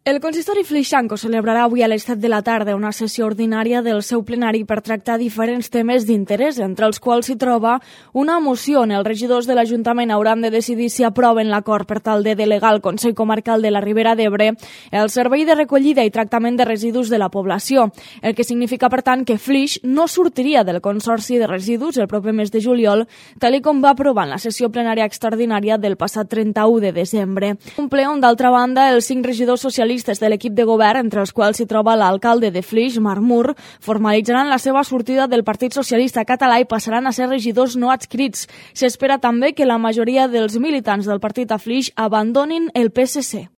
El consistori Flixanco celebrarà avui a les 7 de la tarda una sessió ordinària del seu plenari per tractar diferents temes d'interès, entre els quals s'hi troba una moció on els regidors de l'Ajuntament hauran de decidir si aproven l'acord per tal de delegar al Consell Comarcal de la Ribera d'Ebre el servei de recollida i tractament de residus de la població, el que significa, per tant, que Flix no sortiria del Consorci de Residus el proper mes de juliol, tal com va aprovar en la sessió plenària extraordinària del passat 31 de desembre. Un ple on, d'altra banda, els 5 regidors socialistes de l'equip de govern, entre els quals s'hi troba l'alcalde de Flix, Marc Mur, formalitzaran la seva sortida del Partit Socialista Català i passaran a ser regidors no adscrits. S'espera també que la majoria dels militants del partit a Flix abandonin el PSC.